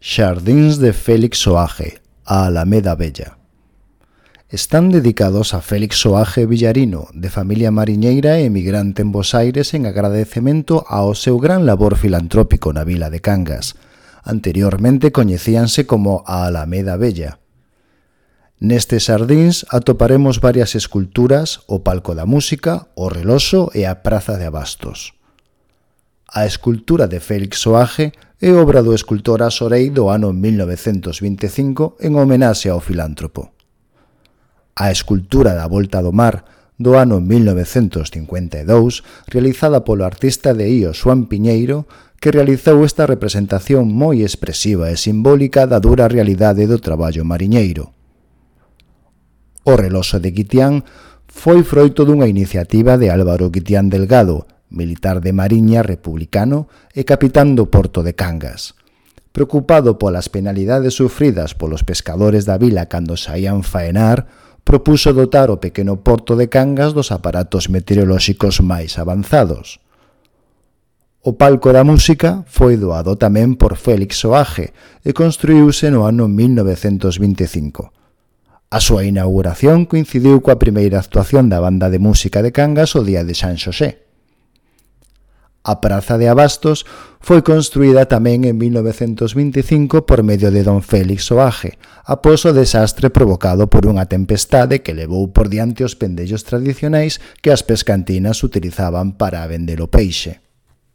Xardíns de Félix Soaje, a Alameda Bella. Están dedicados a Félix Soaje Villarino, de familia mariñeira e emigrante en Bos Aires, en agradecemento ao seu gran labor filantrópico na vila de Cangas. Anteriormente coñecíanse como a Alameda Bella. Nestes xardíns atoparemos varias esculturas, o Palco da Música, o Reloxo e a Praza de Abastos. A escultura de Félix Soaje é obra do escultor Asorei do ano 1925 en homenaxe ao filántropo. A escultura da Volta do Mar do ano 1952, realizada polo artista de Ío Xoán Piñeiro, que realizou esta representación moi expresiva e simbólica da dura realidade do traballo mariñeiro. O Reloxo de Guitián foi froito dunha iniciativa de Álvaro Guitián Delgado, militar de Mariña republicano e capitán do porto de Cangas. Preocupado polas penalidades sufridas polos pescadores da vila cando saían faenar, propuso dotar o pequeno porto de Cangas dos aparatos meteorolóxicos máis avanzados. O Palco da Música foi doado tamén por Félix Soaje e construíuse no ano 1925. A súa inauguración coincidiu coa primeira actuación da banda de música de Cangas o día de San Xosé. A Praza de Abastos foi construída tamén en 1925 por medio de don Félix Soaje, após o desastre provocado por unha tempestade que levou por diante os pendellos tradicionais que as pescantinas utilizaban para vender o peixe.